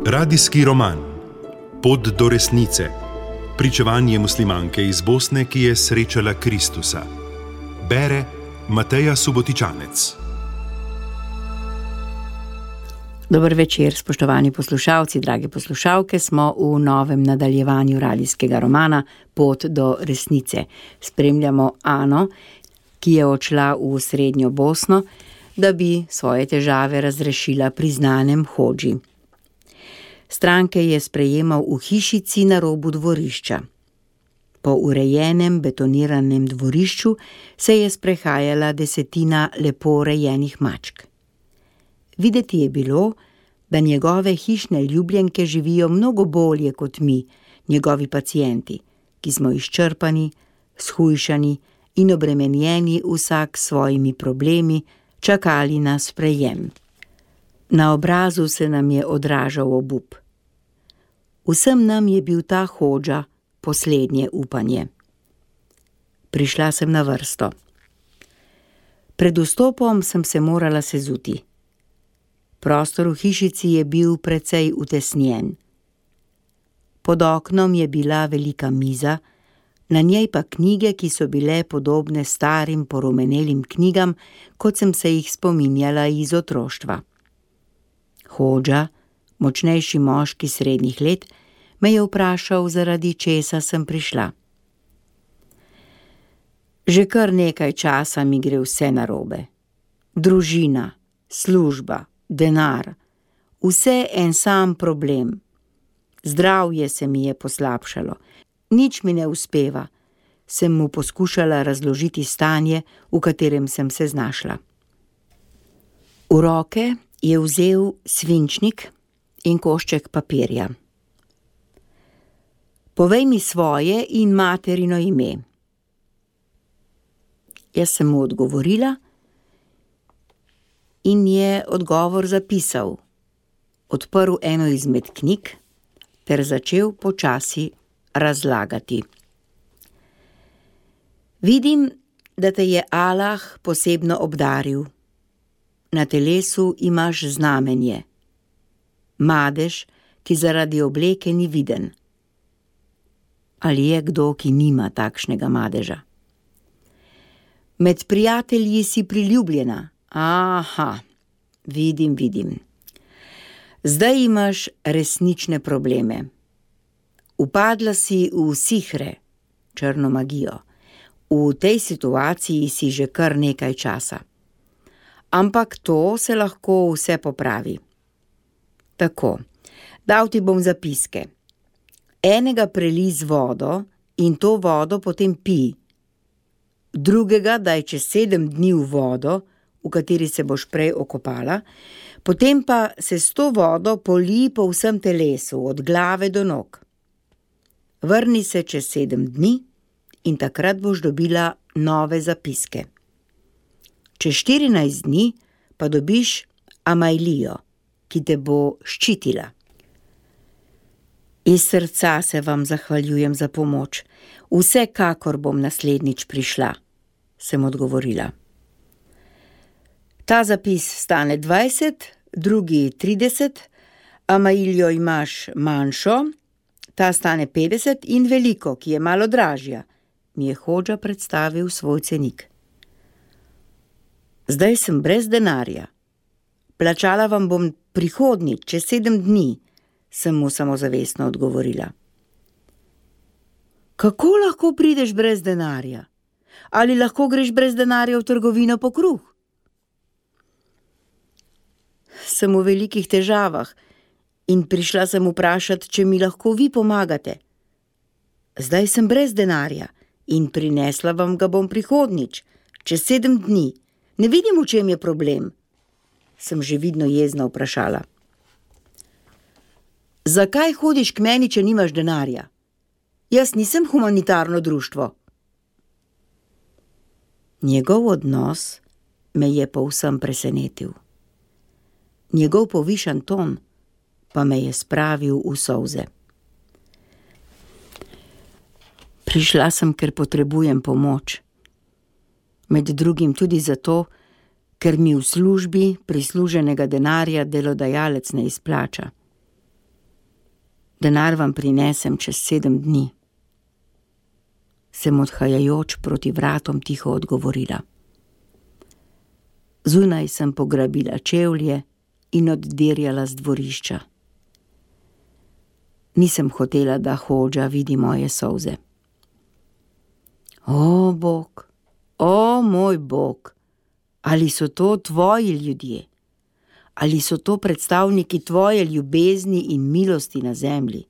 Radijski roman Pot do resnice. Pričevanje muslimanke iz Bosne, ki je srečala Kristusa. Bere Mateja Subotičanec. Dober večer, spoštovani poslušalci, drage poslušalke. Smo v novem nadaljevanju radijskega romana Pot do resnice. Spremljamo Ano, ki je odšla v srednjo Bosno, da bi svoje težave razrešila pri znanem hodži. Stranke je sprejemal v hišici na robu dvorišča. Po urejenem betoniranem dvorišču se je sprehajala 10 lepo urejenih mačk. Videti je bilo, da njegove hišne ljubljenke živijo mnogo bolje kot mi, njegovi pacienti, ki smo izčrpani, shujšani in obremenjeni vsak s svojimi problemi, čakali na sprejem. Na obrazu se nam je odražal obup. Vsem nam je bil ta hodža poslednje upanje. Prišla sem na vrsto. Pred vstopom sem se morala sezuti. Prostor v hišici je bil precej utesnjen. Pod oknom je bila velika miza, na njej pa knjige, ki so bile podobne starim porumenelim knjigam, kot sem se jih spominjala iz otroštva. Hodža, močnejši moški srednjih let, me je vprašal, zaradi česa sem prišla. Že kar nekaj časa mi gre vse narobe. Družina, služba, denar, vse en sam problem. Zdravje se mi je poslabšalo, nič mi ne uspeva, sem mu poskušala razložiti stanje, v katerem sem se znašla. V roke je vzel svinčnik in košček papirja. Povej mi svoje in materino ime. Jaz sem mu odgovorila in je odgovor zapisal. Odprl eno izmed knjig ter začel počasi razlagati. Vidim, da te je Allah posebno obdaril. Na telesu imaš znamenje. Madež, ki zaradi obleke ni viden. Ali je kdo, ki nima takšnega madeža? Med prijatelji si priljubljena. Aha, vidim. Zdaj imaš resnične probleme. Upadla si v sihre, črno magijo. V tej situaciji si že kar nekaj časa. Ampak to se lahko vse popravi. Tako, dal ti bom zapiske. Enega prelij z vodo in to vodo potem pij. Drugega daj čez 7 dni v vodo, v kateri se boš prej okopala, potem pa se s to vodo polij po vsem telesu, od glave do nog. Vrni se čez 7 dni in takrat boš dobila nove zapiske. Čez 14 dni pa dobiš Amajlijo, ki te bo ščitila. Iz srca se vam zahvaljujem za pomoč. Vsekakor bom naslednjič prišla, sem odgovorila. Ta zapis stane 20, drugi 30, Amajlijo imaš manjšo, ta stane 50 in veliko, ki je malo dražja, mi je hodža predstavil svoj cenik. Zdaj sem brez denarja. Plačala vam bom prihodnjič, čez 7 dni, sem mu samozavestno odgovorila. Kako lahko prideš brez denarja? Ali lahko greš brez denarja v trgovino po kruh? Sem v velikih težavah in prišla sem vprašati, če mi lahko vi pomagate. Zdaj sem brez denarja in prinesla vam ga bom prihodnjič, čez 7 dni. Ne vidim, v čem je problem, sem že vidno jezna vprašala. Zakaj hodiš k meni, če nimaš denarja? Jaz nisem humanitarno društvo. Njegov odnos me je povsem presenetil. Njegov povišan ton pa me je spravil v solze. Prišla sem, ker potrebujem pomoč. Med drugim tudi zato, ker mi v službi prisluženega denarja delodajalec ne izplača. Denar vam prinesem čez 7 dni. Sem odhajajoč proti vratom tiho odgovorila. Zunaj sem pograbila čevlje in oddirjala z dvorišča. Nisem hotela, da Hodža vidi moje solze. O, Bog, o, moj Bog, ali so to tvoji ljudje? Ali so to predstavniki tvoje ljubezni in milosti na zemlji?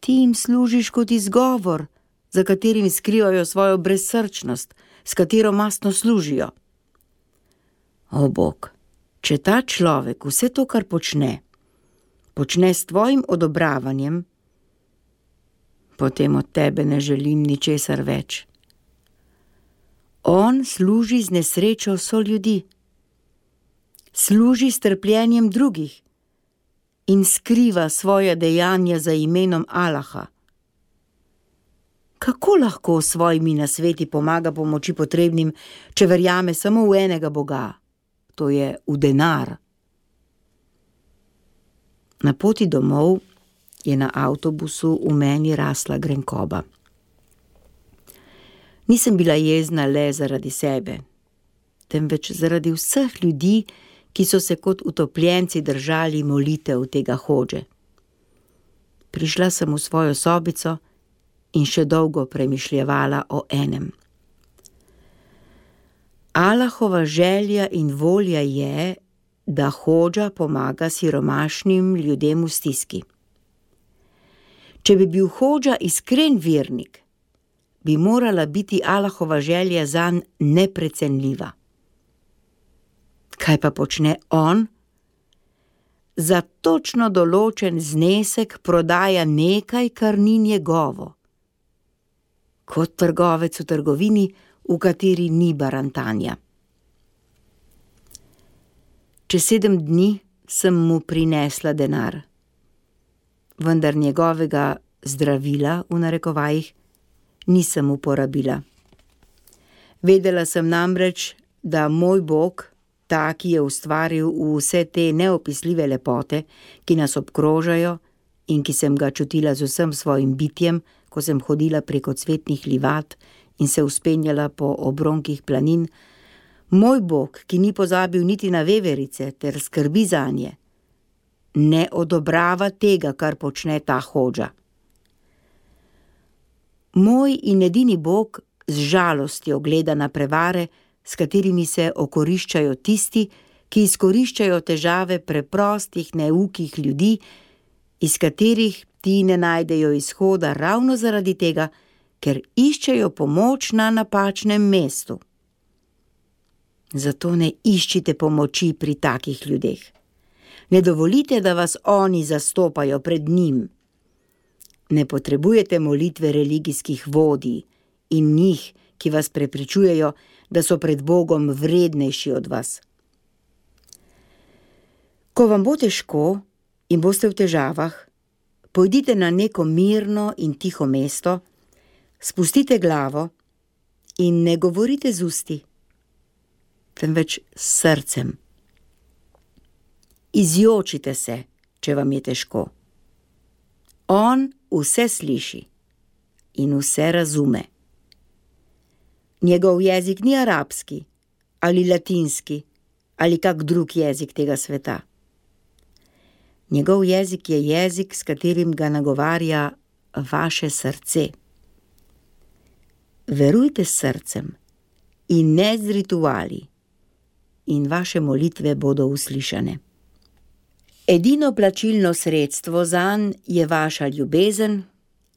Ti jim služiš kot izgovor, za katerim skrivajo svojo brezsrčnost, s katero mastno služijo. O, Bog, če ta človek vse to, kar počne s tvojim odobravanjem, potem od tebe ne želim ničesar več. On služi z nesrečo soljudi, služi s trpljenjem drugih in skriva svoja dejanja za imenom Allaha. Kako lahko s svojimi nasveti pomaga pomoči potrebnim, če verjame samo v enega Boga, to je v denar? Na poti domov je na avtobusu v meni rasla grenkoba. Nisem bila jezna le zaradi sebe, temveč zaradi vseh ljudi, ki so se kot utopljenci držali molitev tega Hodže. Prišla sem v svojo sobico in še dolgo premišljevala o enem. Allahova želja in volja je, da Hodža pomaga siromašnim ljudem v stiski. Če bi bil Hodža iskren vernik, bi morala biti Allahova želja zanj neprecenljiva. Kaj pa počne on? Za točno določen znesek prodaja nekaj, kar ni njegovo. Kot trgovec v trgovini, v kateri ni barantanja. Čez 7 dni sem mu prinesla denar, vendar njegovega zdravila, v narekovajih, nisem uporabila. Vedela sem namreč, da moj Bog, ta, ki je ustvaril vse te neopisljive lepote, ki nas obkrožajo in ki sem ga čutila z vsem svojim bitjem, ko sem hodila preko cvetnih livat in se vzpenjala po obronkih planin, moj Bog, ki ni pozabil niti na veverice ter skrbi zanje, ne odobrava tega, kar počne ta Hodža. Moj in edini Bog z žalostjo gleda na prevare, s katerimi se okoriščajo tisti, ki izkoriščajo težave preprostih, neukih ljudi, iz katerih ti ne najdejo izhoda ravno zaradi tega, ker iščejo pomoč na napačnem mestu. Zato ne iščite pomoči pri takih ljudeh. Ne dovolite, da vas oni zastopajo pred njim. Ne potrebujete molitve religijskih vodij in njih, ki vas prepričujejo, da so pred Bogom vrednejši od vas. Ko vam bo težko in boste v težavah, pojdite na neko mirno in tiho mesto, spustite glavo in ne govorite z usti, temveč s srcem. Izjočite se, če vam je težko. On vse sliši in vse razume. Njegov jezik ni arabski ali latinski ali kak drug jezik tega sveta. Njegov jezik je jezik, s katerim ga nagovarja vaše srce. Verujte s srcem in ne z rituali in vaše molitve bodo uslišane. Edino plačilno sredstvo zanj je vaša ljubezen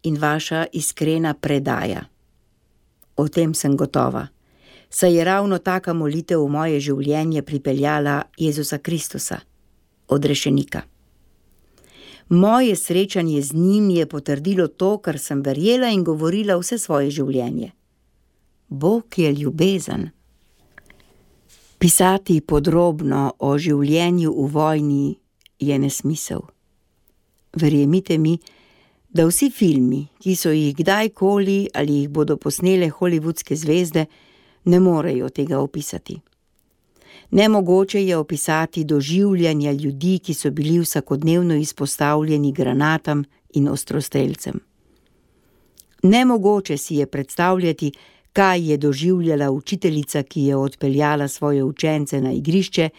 in vaša iskrena predaja. O tem sem gotova, saj je ravno taka molitev v moje življenje pripeljala Jezusa Kristusa, odrešenika. Moje srečanje z njim je potrdilo to, kar sem verjela in govorila vse svoje življenje. Bog je ljubezen. Pisati podrobno o življenju v vojni je nesmisel. Verjemite mi, da vsi filmi, ki so jih kdajkoli ali jih bodo posnele hollywoodske zvezde, ne morejo tega opisati. Nemogoče je opisati doživljanja ljudi, ki so bili vsakodnevno izpostavljeni granatam in ostrostrelcem. Nemogoče si je predstavljati, kaj je doživljala učiteljica, ki je odpeljala svoje učence na igrišče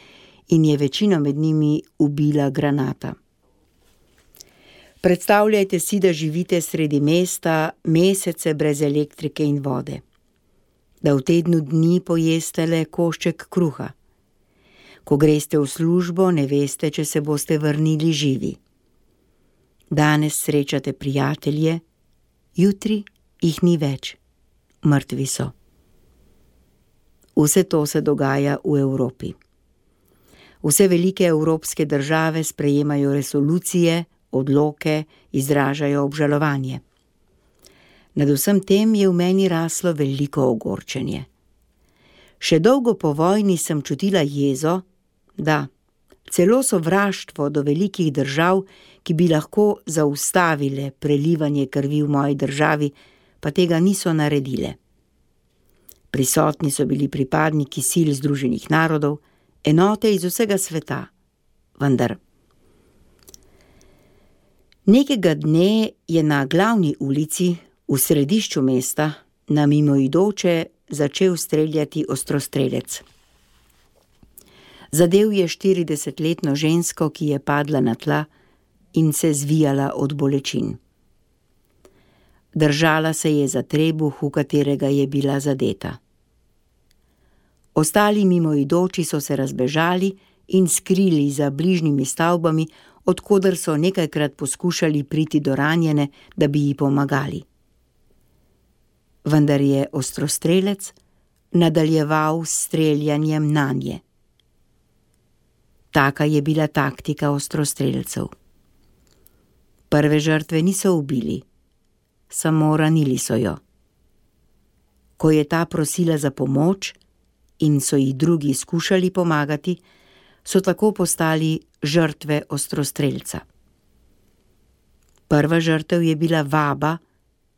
in je večino med njimi ubila granata. Predstavljajte si, da živite sredi mesta mesece brez elektrike in vode. Da v tednu dni pojeste le košček kruha. Ko greste v službo, ne veste, če se boste vrnili živi. Danes srečate prijatelje, jutri jih ni več, mrtvi so. Vse to se dogaja v Evropi. Vse velike evropske države sprejemajo resolucije, odloke, izražajo obžalovanje. Nad vsem tem je v meni raslo veliko ogorčenje. Še dolgo po vojni sem čutila jezo, da, celo sovraštvo do velikih držav, ki bi lahko zaustavile prelivanje krvi v moji državi, pa tega niso naredile. Prisotni so bili pripadniki sil Združenih narodov, enote iz vsega sveta, vendar. Nekega dne je na glavni ulici, v središču mesta, na mimoidoče začel streljati ostrostrelec. Zadel je 40-letno žensko, ki je padla na tla in se zvijala od bolečin. Držala se je za trebuh, v katerega je bila zadeta. Ostali mimoidoči so se razbežali in skrili za bližnjimi stavbami, od koder so nekajkrat poskušali priti do ranjene, da bi ji pomagali. Vendar je ostrostrelec nadaljeval s streljanjem nanje. Taka je bila taktika ostrostrelcev. Prve žrtve niso ubili, samo ranili so jo. Ko je ta prosila za pomoč in so ji drugi skušali pomagati, so tako postali žrtve ostrostrelca. Prva žrtev je bila vaba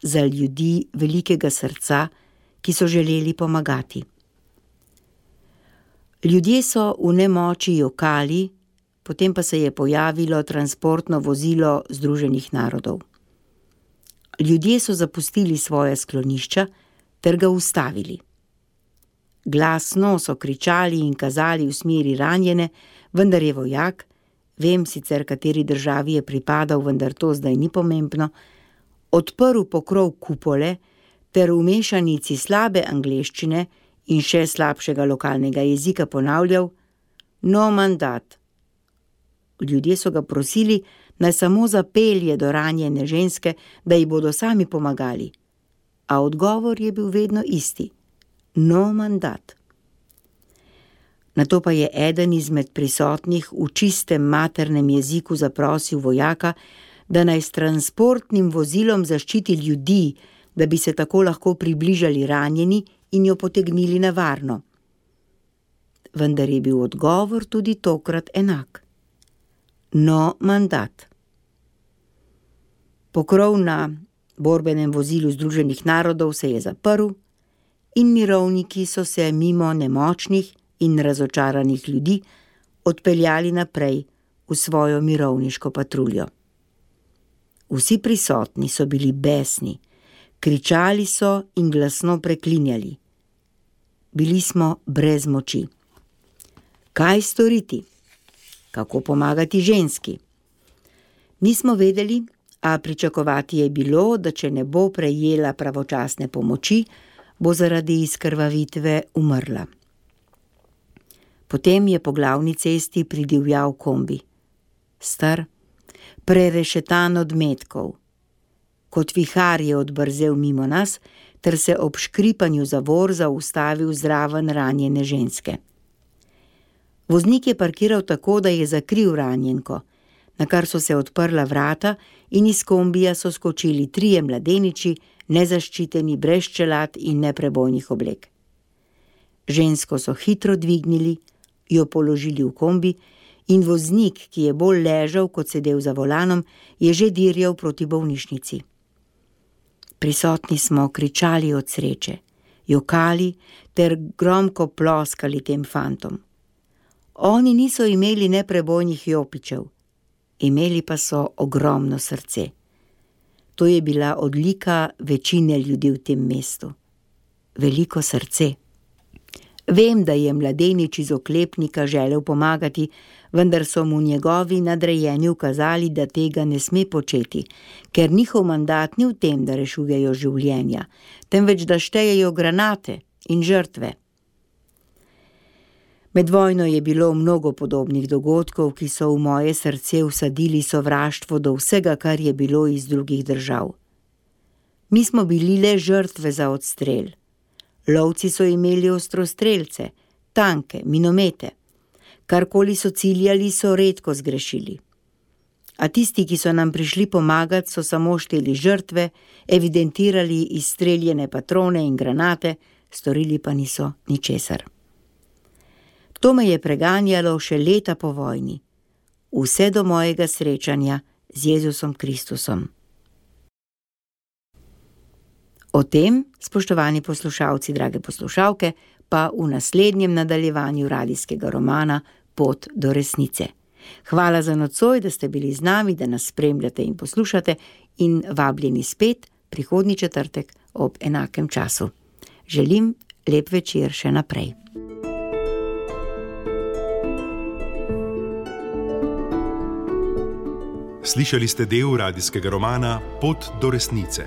za ljudi velikega srca, ki so želeli pomagati. Ljudje so v nemoči jokali, potem pa se je pojavilo transportno vozilo Združenih narodov. Ljudje so zapustili svoja sklonišča ter ga ustavili. Glasno so kričali in kazali v smeri ranjene, vendar je vojak, vem sicer, kateri državi je pripadal, vendar to zdaj ni pomembno, odprl pokrov kupole ter v mešanici slabe angleščine in še slabšega lokalnega jezika ponavljal: "No mandat." Ljudje so ga prosili, naj samo zapelje do ranjene ženske, da ji bodo sami pomagali. A odgovor je bil vedno isti: "No mandat." Nato pa je eden izmed prisotnih v čistem maternem jeziku zaprosil vojaka, da naj s transportnim vozilom zaščiti ljudi, da bi se tako lahko približali ranjeni in jo potegnili na varno. Vendar je bil odgovor tudi tokrat enak: "No mandat." Pokrov na borbenem vozilu Združenih narodov se je zaprl in mirovniki so se mimo nemočnih in razočaranih ljudi odpeljali naprej v svojo mirovniško patruljo. Vsi prisotni so bili besni, kričali so in glasno preklinjali. Bili smo brez moči. Kaj storiti? Kako pomagati ženski? Nismo vedeli, a pričakovati je bilo, da če ne bo prejela pravočasne pomoči, bo zaradi izkrvavitve umrla. Potem je po glavni cesti pridivjal kombi. Star, prerešetan od metkov. Kot vihar je odbrzel mimo nas, ter se ob škripanju zavor zaustavil zraven ranjene ženske. Voznik je parkiral tako, da je zakril ranjenko, na kar so se odprla vrata in iz kombija so skočili 3 mladeniči, nezaščiteni, brez čelad in neprebojnih oblek. Žensko so hitro dvignili, jo položili v kombi in voznik, ki je bolj ležal kot sedel za volanom, je že dirjal proti bolnišnici. Prisotni smo kričali od sreče, jokali ter gromko ploskali tem fantom. Oni niso imeli neprebojnih jopičev, imeli pa so ogromno srce. To je bila odlika večine ljudi v tem mestu. Veliko srce. Vem, da je mladenič iz oklepnika želel pomagati, vendar so mu njegovi nadrejeni ukazali, da tega ne sme početi, ker njihov mandat ni v tem, da rešujejo življenja, temveč da štejejo granate in žrtve. Med vojno je bilo mnogo podobnih dogodkov, ki so v moje srce vsadili sovraštvo do vsega, kar je bilo iz drugih držav. Mi smo bili le žrtve za odstrel. Lovci so imeli ostrostrelce, tanke, minomete. Karkoli so ciljali, so redko zgrešili. A tisti, ki so nam prišli pomagati, so samo šteli žrtve, evidentirali izstreljene patrone in granate, storili pa niso ničesar. To me je preganjalo še leta po vojni, vse do mojega srečanja z Jezusom Kristusom. O tem, spoštovani poslušalci, drage poslušalke, pa v naslednjem nadaljevanju radijskega romana Pot do resnice. Hvala za nocoj, da ste bili z nami, da nas spremljate in poslušate in vabljeni spet prihodnji četrtek ob enakem času. Želim lep večer še naprej. Slišali ste del radijskega romana Pot do resnice.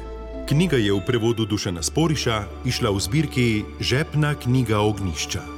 Knjiga je v prevodu Dušana Sporiša izšla v zbirki Žepna knjiga Ognjišča.